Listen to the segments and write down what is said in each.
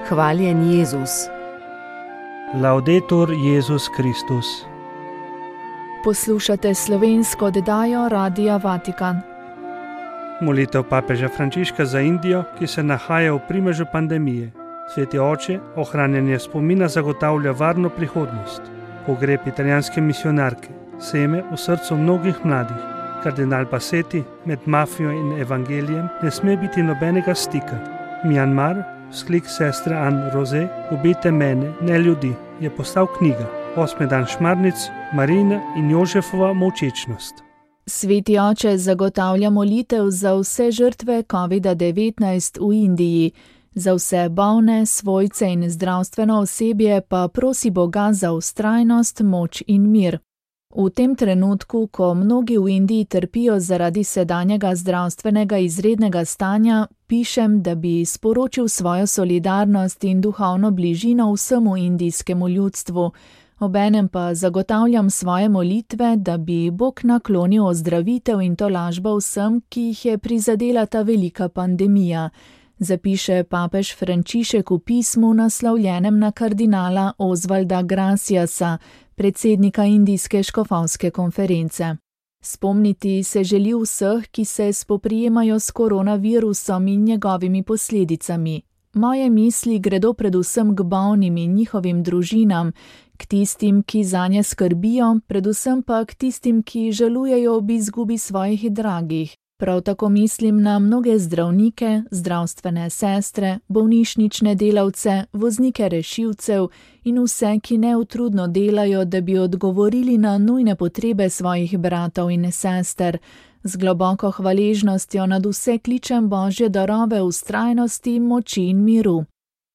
Hvaljen Jezus. Laudetur Jezus Kristus. Poslušate slovensko oddajo Radia Vatikan. Molitev papeža Frančiška za Indijo, ki se nahaja v primežu pandemije. Sveti oče, ohranjanje spomina zagotavlja varno prihodnost. Pogreb italijanske misijonarke, seme v srcu mnogih mladih. Kardinal Bassetti, med mafijo in evangelijem ne sme biti nobenega stika. Mjanmar, sklik sestre Anne Rose, ubijte mene, ne ljudi, je postal knjiga. 8. dan Šmarnic, Marina in Jožefova molčečnost. Sveti oče zagotavlja molitev za vse žrtve COVID-19 v Indiji. Za vse bolne, svojce in zdravstveno osebje pa prosi Boga za vztrajnost, moč in mir. V tem trenutku, ko mnogi v Indiji trpijo zaradi sedanjega zdravstvenega izrednega stanja, pišem, da bi sporočil svojo solidarnost in duhovno bližino vsemu indijskemu ljudstvu. Obenem pa zagotavljam svoje molitve, da bi Bog naklonil ozdravitev in tolažbo vsem, ki jih je prizadela ta velika pandemija, zapiše papež Frančišek v pismu naslovljenem na kardinala Osvalda Graciasa, predsednika Indijske škofovske konference. Spomniti se želi vseh, ki se spoprijemajo s koronavirusom in njegovimi posledicami. Moje misli gredo predvsem k bolnim in njihovim družinam, k tistim, ki zanje skrbijo, predvsem pa k tistim, ki žalujejo ob izgubi svojih dragih. Prav tako mislim na mnoge zdravnike, zdravstvene sestre, bolnišnične delavce, voznike rešilcev in vse, ki neutrudno delajo, da bi odgovorili na nujne potrebe svojih bratov in sester. Z globoko hvaležnostjo nad vse kličem Božje darove vztrajnosti, moči in miru.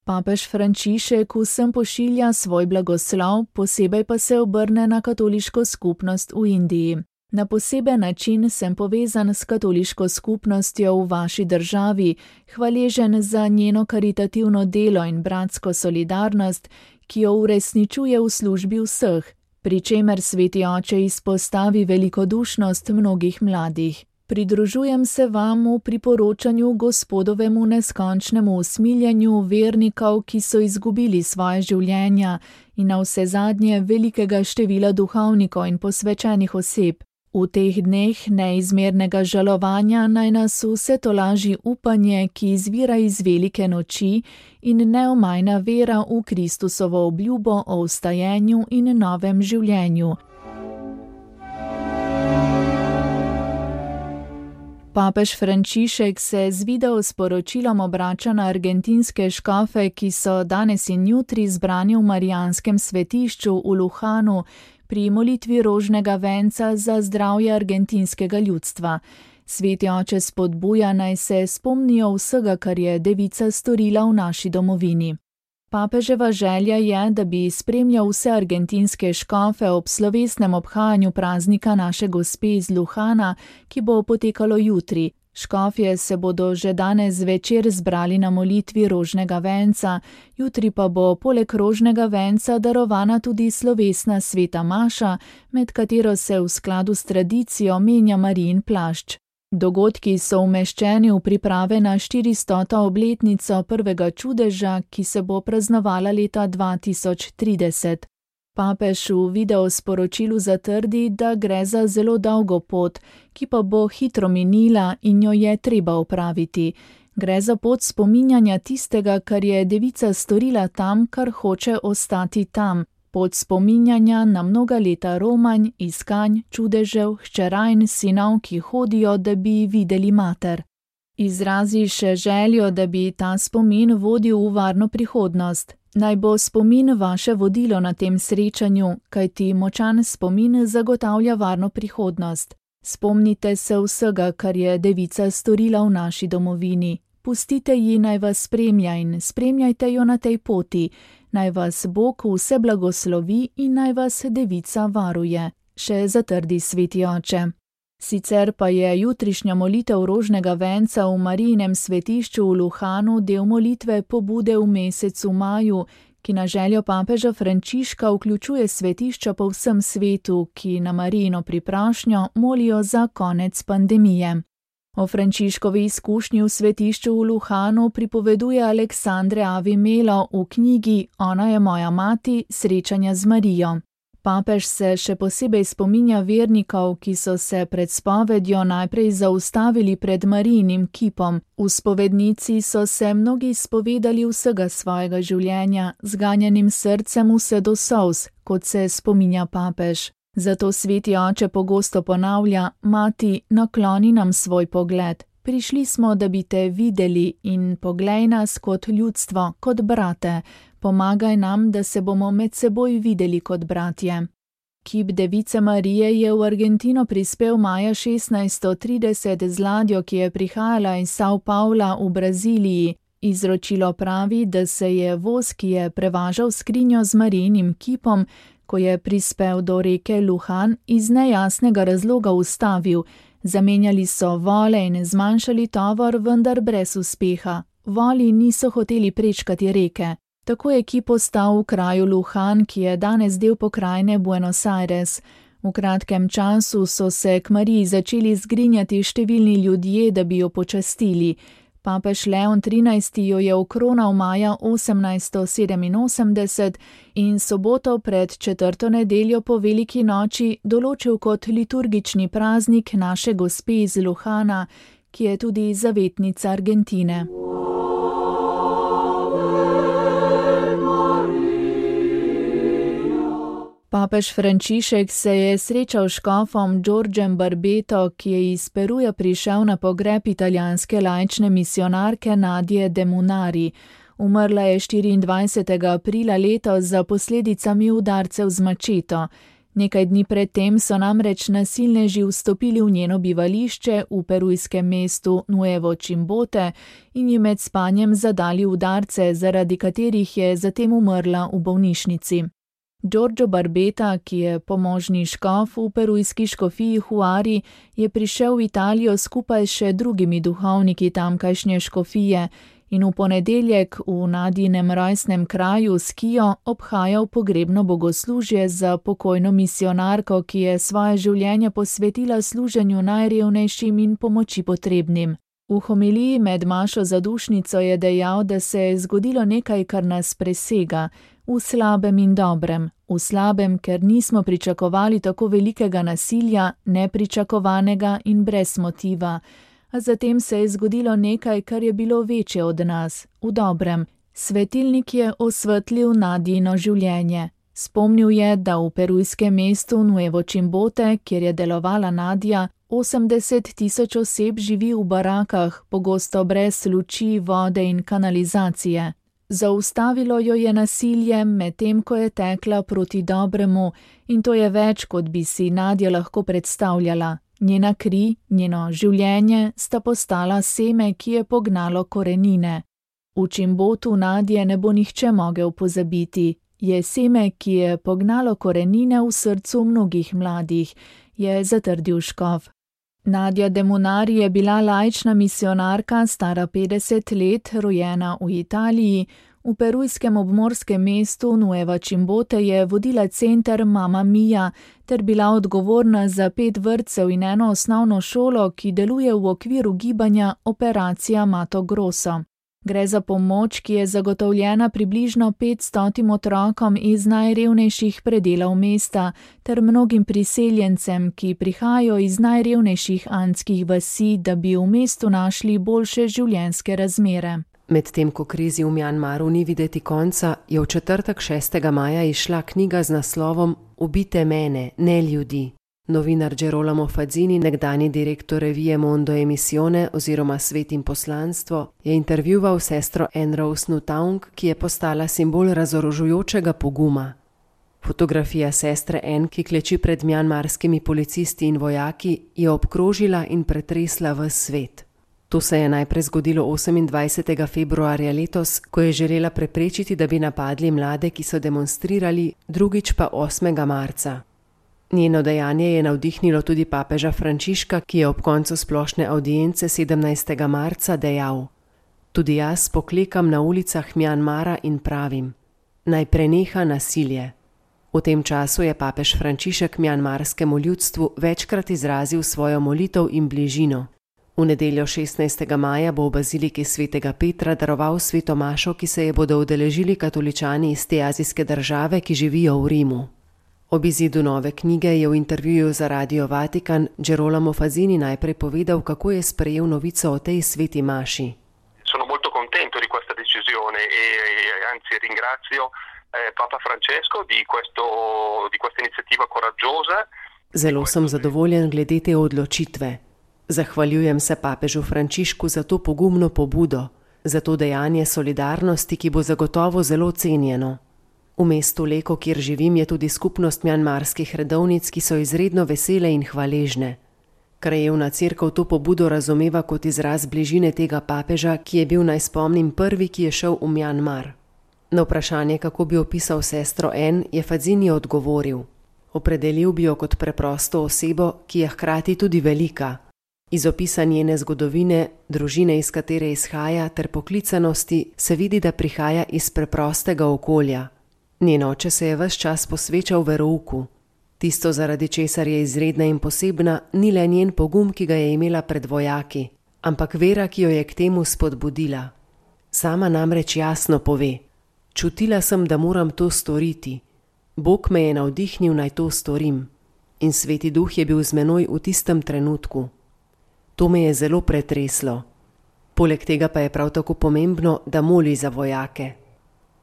Papež Frančišek vsem pošilja svoj blagoslov, posebej pa se obrne na katoliško skupnost v Indiji. Na poseben način sem povezan s katoliško skupnostjo v vaši državi, hvaležen za njeno karitativno delo in bratsko solidarnost, ki jo uresničuje v službi vseh, pri čemer sveti oče izpostavi velikodušnost mnogih mladih. Pridružujem se vam v priporočanju Gospodovemu neskončnemu usmiljenju vernikov, ki so izgubili svoje življenja, in navsezadnje velikega števila duhovnikov in posvečenih oseb. V teh dneh neizmernega žalovanja naj nas vse tolaži upanje, ki izvira iz velike noči, in neomajna vera v Kristusovo obljubo o vstajenju in novem življenju. Papež Frančišek se z video sporočilom obrača na argentinske škofe, ki so danes in jutri zbrani v Marijanskem svetišču v Luhanu, pri molitvi rožnega venca za zdravje argentinskega ljudstva. Sveti oče spodbuja, naj se spomnijo vsega, kar je devica storila v naši domovini. Papeževa želja je, da bi spremljal vse argentinske škofe ob slovesnem obhajanju praznika naše Gospe iz Luhana, ki bo potekalo jutri. Škofje se bodo že danes zvečer zbrali na molitvi rožnega venca, jutri pa bo poleg rožnega venca darovana tudi slovesna sveta maša, med katero se v skladu s tradicijo menja Marijin plašč. Dogodki so umeščeni v priprave na 400. obletnico prvega čudeža, ki se bo praznovala leta 2030. Papež v videosporočilu zatrdi, da gre za zelo dolgo pot, ki pa bo hitro minila in jo je treba opraviti. Gre za pot spominjanja tistega, kar je devica storila tam, kar hoče ostati tam. Pot spominjanja na mnoga leta romanj, iskanj, čudežev, hčera in sinov, ki hodijo, da bi videli mater. Izrazi še željo, da bi ta spomin vodil v varno prihodnost. Naj bo spomin vaše vodilo na tem srečanju, kajti močan spomin zagotavlja varno prihodnost. Spomnite se vsega, kar je devica storila v naši domovini. Pustite ji, naj vas spremlja in spremljajte jo na tej poti. Naj vas Bog vse blagoslovi in naj vas devica varuje, še zatrdi sveti oče. Sicer pa je jutrišnja molitev rožnega venca v Marijinem svetišču v Luhanu del molitve pobude v mesecu maju, ki na željo papeža Frančiška vključuje svetišča po vsem svetu, ki na Marijino priprošnjo molijo za konec pandemije. O Frančiškovi izkušnji v svetišču v Luhanu pripoveduje Aleksandre Avimelo v knjigi Ona je moja mati, srečanja z Marijo. Papež se še posebej spominja vernikov, ki so se pred spovedjo najprej zaustavili pred Marijinim kipom. V spovednici so se mnogi spovedali vsega svojega življenja, z ganjenim srcem vse do solz, kot se spominja papež. Zato sveti oče pogosto ponavlja: Mati, nakloni nam svoj pogled. Prišli smo, da bi te videli in poglej nas kot ljudstvo, kot brate. Pomagaj nam, da se bomo med seboj videli kot bratje. Kip Device Marije je v Argentino prispel maja 1630 z ladjo, ki je prihajala iz São Paula v Braziliji. Izročilo pravi, da se je voz, ki je prevažal skrinjo z Marijinim kipom, ko je prispel do reke Luhan, iz nejasnega razloga ustavil. Zamenjali so vole in zmanjšali tovor, vendar brez uspeha. Voli niso hoteli prečkati reke. Tako je kip ostal v kraju Luhan, ki je danes del pokrajine Buenos Aires. V kratkem času so se k Mariji začeli zgrinjati številni ljudje, da bi jo počastili. Papež Leon XIII jo je okronal maja 1887 in soboto pred 4. nedeljo po veliki noči določil kot liturgični praznik naše gospe iz Luhana, ki je tudi zavetnica Argentine. Papež Frančišek se je srečal s škofom Giorgem Barbeto, ki je iz Peruja prišel na pogreb italijanske laične misionarke Nadje de Munari. Umrla je 24. aprila letos za posledicami udarcev z mačeto. Nekaj dni predtem so namreč nasilneži vstopili v njeno bivališče v perujskem mestu Nuevo Chimbote in ji med spanjem zadali udarce, zaradi katerih je zatem umrla v bolnišnici. Giorgio Barbeta, ki je pomožni škof v perujski škofiji Huari, je prišel v Italijo skupaj s še drugimi duhovniki tamkajšnje škofije in v ponedeljek v Nadjinem rojstnem kraju Skio obhajal pogrebno bogoslužje za pokojno misionarko, ki je svoje življenje posvetila služenju najrevnejšim in pomoči potrebnim. V homiliji med mašo zadušnico je dejal, da se je zgodilo nekaj, kar nas presega, v slabem in dobrem. V slabem, ker nismo pričakovali tako velikega nasilja, nepričakovanega in brez motiva. A zatem se je zgodilo nekaj, kar je bilo večje od nas. V dobrem. Svetilnik je osvetlil Nadjino življenje. Spomnil je, da v perujskem mestu Nuevo Chimbote, kjer je delovala Nadja, 80.000 oseb živi v barakah, pogosto brez luči, vode in kanalizacije. Zaustavilo jo je nasilje, medtem ko je tekla proti dobremu, in to je več, kot bi si Nadja lahko predstavljala. Njena kri, njeno življenje sta postala seme, ki je pognalo korenine. V Chimbotu Nadje ne bo nihče mogel pozabiti. Je seme, ki je pognalo korenine v srcu mnogih mladih, je zatrdil škof. Nadja de Munari je bila laična misionarka, stara 50 let, rojena v Italiji. V perujskem obmorskem mestu Nueva Chimbote je vodila center Mama Mia ter bila odgovorna za 5 vrtcev in eno osnovno šolo, ki deluje v okviru gibanja Operacija Mato Grosso. Gre za pomoč, ki je zagotovljena približno 500 otrokom iz najrevnejših predelov mesta ter mnogim priseljencem, ki prihajajo iz najrevnejših andskih vasi, da bi v mestu našli boljše življenjske razmere. Medtem ko krizi v Mjanmaru ni videti konca, je v četrtek 6. maja izšla knjiga z naslovom Ubite mene, ne ljudi. Novinar Gerolamo Fadzini, nekdani direktor revije Mondo Emisione oziroma Svet in poslanstvo, je intervjuval sestro Anne Rose Nutaung, ki je postala simbol razorožujočega poguma. Fotografija sestre Anne, ki kleči pred mjanmarskimi policisti in vojaki, je obkrožila in pretresla ves svet. To se je najprej zgodilo 28. februarja letos, ko je želela preprečiti, da bi napadli mlade, ki so demonstrirali, drugič pa 8. marca. Njeno dejanje je navdihnilo tudi papeža Frančiška, ki je ob koncu splošne avdience 17. marca dejal: Tudi jaz poklekam na ulicah Mjanmara in pravim: naj preneha nasilje. V tem času je papež Frančišek mjanmarskemu ljudstvu večkrat izrazil svojo molitev in bližino. V nedeljo 16. maja bo v baziliki svetega Petra daroval sveto mašo, ki se je bodo udeležili katoličani iz te azijske države, ki živijo v Rimu. Ob izidu nove knjige je v intervjuju za Radio Vatikan Gerolamo Fazini najprej povedal, kako je sprejel novico o tej sveti maši. Sono molto contento di questa decisione e anzi ringrazio Papa Francesco di questa iniziativa coraggiosa. Zelo sem zadovoljen glede te odločitve. Zahvaljujem se papežu Frančišku za to pogumno pobudo, za to dejanje solidarnosti, ki bo zagotovo zelo cenjeno. V mestu Leko, kjer živim, je tudi skupnost mjanmarskih redovnic, ki so izredno vesele in hvaležne. Krajevna cerkev to pobudo razumeva kot izraz bližine tega papeža, ki je bil, naj spomnim, prvi, ki je šel v Mjanmar. Na vprašanje, kako bi opisal sestro N, je Fazini odgovoril. Opredelil bi jo kot preprosto osebo, ki je hkrati tudi velika. Iz opisa njene zgodovine, družine, iz katere izhaja, ter poklicanosti se vidi, da prihaja iz preprostega okolja. Njen oče se je ves čas posvečal verouku. Tisto, zaradi česar je izredna in posebna, ni le njen pogum, ki ga je imela pred vojaki, ampak vera, ki jo je k temu spodbudila. Sama namreč jasno pove: čutila sem, da moram to storiti. Bog me je navdihnil, naj to storim. In Sveti Duh je bil z menoj v tistem trenutku. To me je zelo pretreslo. Poleg tega pa je prav tako pomembno, da moli za vojake.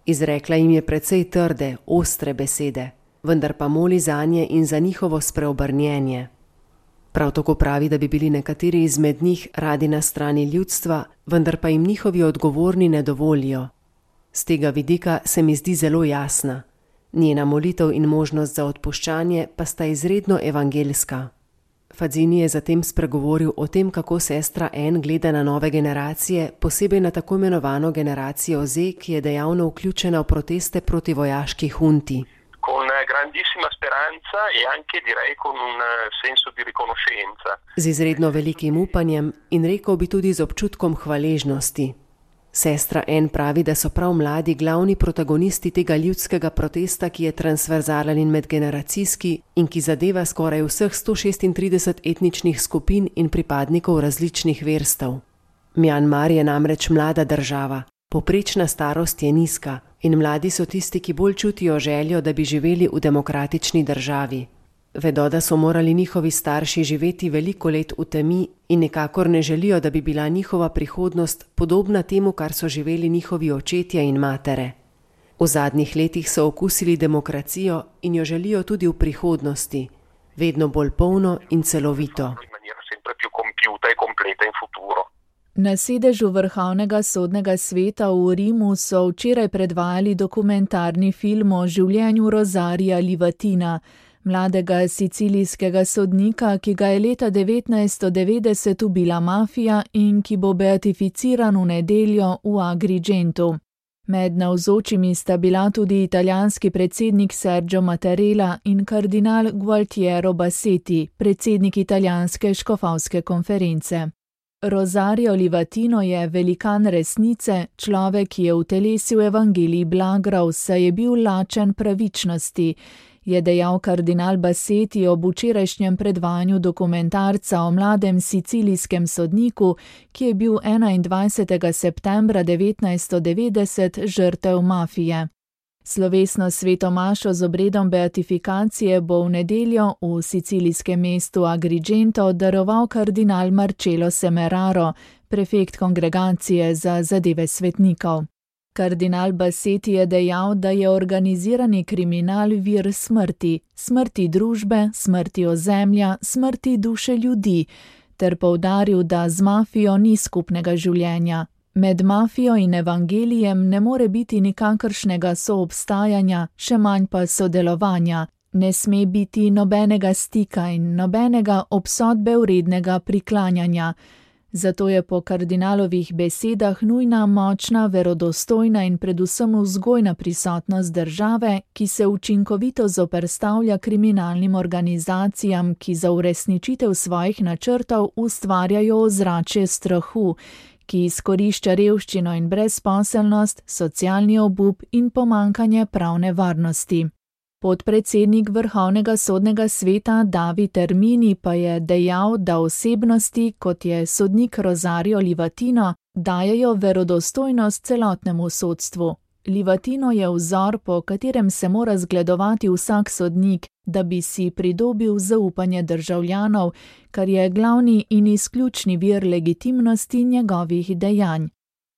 Izrekla jim je precej trde, ostre besede, vendar pa moli zanje in za njihovo spreobrnjenje. Prav tako pravi, da bi bili nekateri izmed njih radi na strani ljudstva, vendar pa jim njihovi odgovorni ne dovolijo. Z tega vidika se mi zdi zelo jasna. Njena molitev in možnost za odpuščanje pa sta izredno evangeljska. Fazini je zatem spregovoril o tem, kako sestra N gleda na nove generacije, posebej na tako imenovano generacijo Z, ki je dejavno vključena v proteste proti vojaški hunti. Con grandissima speranza e anche direi con un senso di riconoscenza. Z izredno velikim upanjem in rekel bi tudi z občutkom hvaležnosti. Sestra N pravi, da so prav mladi glavni protagonisti tega ljudskega protesta, ki je transverzalen in medgeneracijski in ki zadeva skoraj vseh 136 etničnih skupin in pripadnikov različnih verstev. Mjanmar je namreč mlada država, povprečna starost je nizka in mladi so tisti, ki bolj čutijo željo, da bi živeli v demokratični državi. Vedo, da so morali njihovi starši živeti veliko let v temi in nikakor ne želijo, da bi bila njihova prihodnost podobna temu, kar so živeli njihovi očetje in matere. V zadnjih letih so okusili demokracijo in jo želijo tudi v prihodnosti, vedno bolj polno in celovito. Na sedežu Vrhovnega sodnega sveta v Rimu so včeraj predvajali dokumentarni film o življenju Rosarija Livatina, mladega sicilijskega sodnika, ki ga je leta 1990 ubila mafija in ki bo beatificiran v nedeljo v Agrigentu. Med navzočimi sta bila tudi italijanski predsednik Sergio Mattarella in kardinal Gualtiero Bassetti, predsednik italijanske škofovske konference. Rosario Livatino je velikan resnice, človek, ki je utelesil evangelij blagrov, saj je bil lačen pravičnosti, je dejal kardinal Bassetti ob včerajšnjem predvajanju dokumentarca o mladem sicilijskem sodniku, ki je bil 21. septembra 1990 žrtev mafije. Slovesno sveto mašo z obredom beatifikacije bo v nedeljo v sicilijskem mestu Agrigento daroval kardinal Marcello Semeraro, prefekt kongregacije za zadeve svetnikov. Kardinal Bassetti je dejal, da je organizirani kriminal vir smrti, smrti družbe, smrti ozemlja, smrti duše ljudi, ter poudaril, da z mafijo ni skupnega življenja. Med mafijo in evangelijem ne more biti nikakršnega soobstajanja, še manj pa sodelovanja. Ne sme biti nobenega stika in nobenega obsodbe vrednega priklanjanja. Zato je po kardinalovih besedah nujna močna, verodostojna in predvsem vzgojna prisotnost države, ki se učinkovito zoperstavlja kriminalnim organizacijam, ki za uresničitev svojih načrtov ustvarjajo ozračje strahu, ki izkorišča revščino in brezposelnost, socialni obup in pomanjkanje pravne varnosti. Podpredsednik Vrhovnega sodnega sveta David Ermini pa je dejal, da osebnosti, kot je sodnik Rosario Livatino, dajejo verodostojnost celotnemu sodstvu. Livatino je vzor, po katerem se mora zgledovati vsak sodnik, da bi si pridobil zaupanje državljanov, kar je glavni in izključni vir legitimnosti njegovih dejanj.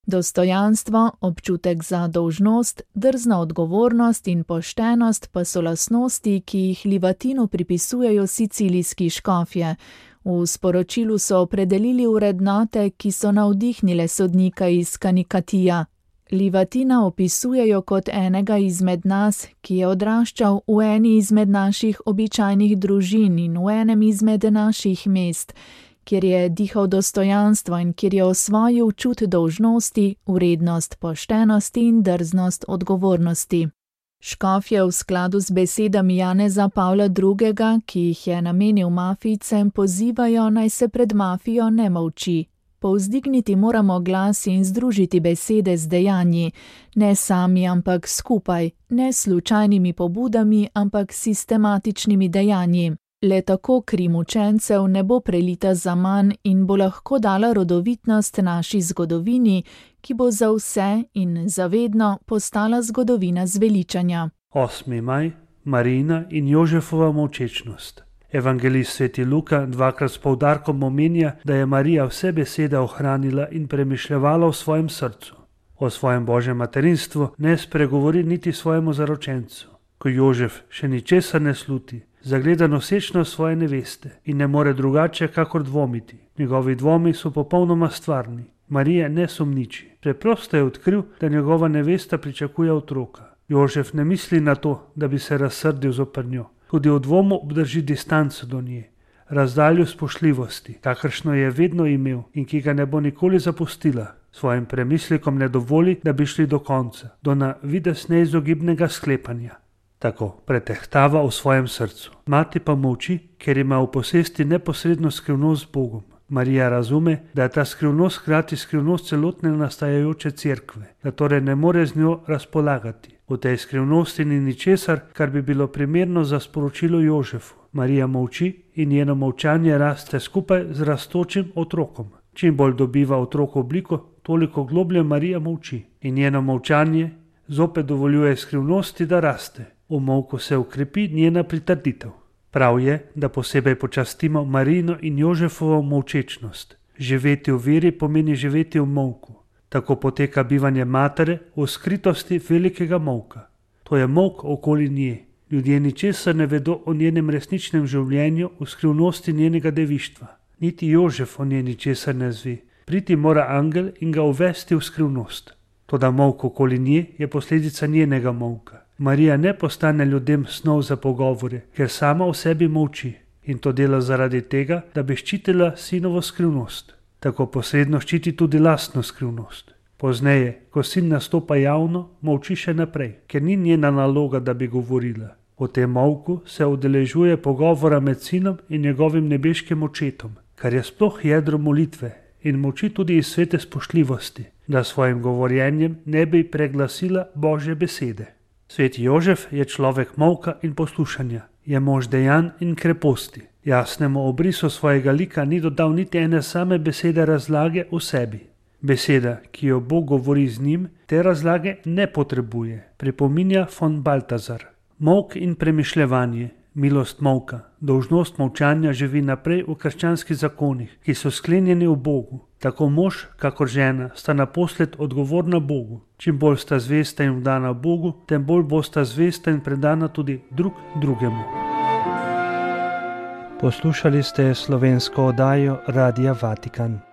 Dostojanstvo, občutek za dolžnost, drzna odgovornost in poštenost pa so lastnosti, ki jih Livatinu pripisujejo sicilijski škofje. V sporočilu so opredelili vrednote, ki so navdihnile sodnika iz Kanikatija. Livatina opisujejo kot enega izmed nas, ki je odraščal v eni izmed naših običajnih družin in v enem izmed naših mest, kjer je dihal dostojanstvo in kjer je osvojil čut dolžnosti, vrednost poštenosti in drznost odgovornosti. Škofje v skladu z besedami Janeza Pavla II., ki jih je namenil mafijcem, pozivajo, naj se pred mafijo ne molči. Povzdigniti moramo glas in združiti besede z dejanji, ne sami, ampak skupaj, ne slučajnimi pobudami, ampak sistematičnimi dejanji. Le tako kri mučencev ne bo prelita zaman in bo lahko dala rodovitnost naši zgodovini, ki bo za vse in zavedno postala zgodovina zveličanja. 8. maj, Marijina in Jožefova molčečnost. Evangelist sveti Luka dvakrat s poudarkom omenja, da je Marija vse besede ohranila in premišljevala v svojem srcu. O svojem božjem materinstvu ne spregovori niti svojemu zaročencu. Ko Jožef še ničesar ne sluti, zagleda nosečnost svoje neveste in ne more drugače kakor dvomiti. Njegovi dvomi so popolnoma stvarni. Marija ne sumniči. Preprosto je odkril, da njegova nevesta pričakuje otroka. Jožef ne misli na to, da bi se razsrdil zoper njo. Tudi v dvomu obdrži distanco do nje, razdaljo spoštljivosti, kakršno je vedno imel in ki ga ne bo nikoli zapustila. Svojim premislikom ne dovoli, da bi šli do konca, do na videz neizogibnega sklepanja. Tako pretehtava v svojem srcu. Mati pa molči, ker ima v posesti neposredno skrivnost z Bogom. Marija razume, da je ta skrivnost hkrati skrivnost celotne nastajajoče cerkve, da torej ne more z njo razpolagati. V tej skrivnosti ni ničesar, kar bi bilo primerno za sporočilo Jožefu. Marija molči in njeno molčanje raste skupaj z rastočim otrokom. Čim bolj dobiva otrok obliko, toliko globlje Marija molči in njeno molčanje zopet dovoljuje skrivnosti, da raste. V molku se ukrepi njena pritrditev. Prav je, da posebej počastimo Marijino in Jožefovo molčečnost. Živeti v veri pomeni živeti v molku. Tako poteka bivanje matere v skritosti velikega molka. To je molk okoli nje. Ljudje ničesar ne vedo o njenem resničnem življenju v skrivnosti njenega devištva. Niti Jožef o njej ničesar ne zve. Priti mora angel in ga uvesti v skrivnost. Toda molk okoli nje je posledica njenega molka. Marija ne postane ljudem snov za pogovore, ker sama v sebi molči in to dela zaradi tega, da bi ščitila sinovo skrivnost. Tako posredno ščiti tudi lastno skrivnost. Pozneje, ko sin nastopa javno, molči še naprej, ker ni njena naloga, da bi govorila. V tem molku se udeležuje pogovora med sinom in njegovim nebeškim očetom, kar je sploh jedro molitve in molči tudi iz svete spoštljivosti, da svojim govorjenjem ne bi preglasila Božje besede. Sveti Jožef je človek molka in poslušanja, je mož dejanj in kreposti. Jasnemu obrisu svojega lika ni dodal niti ene same besede razlage v sebi. Beseda, ki jo Bog govori z njim, te razlage ne potrebuje, pripominja von Baltazar. Molk in premišljevanje, milost molka, dolžnost molčanja živi naprej v krščanskih zakonih, ki so sklenjeni v Bogu. Tako mož, kakor žena, sta naposled odgovorna Bogu. Čim bolj sta zvesta in vdana Bogu, tem bolj bosta zvesta in predana tudi drug drugemu. Poslušali ste slovensko oddajo Radia Vatikan.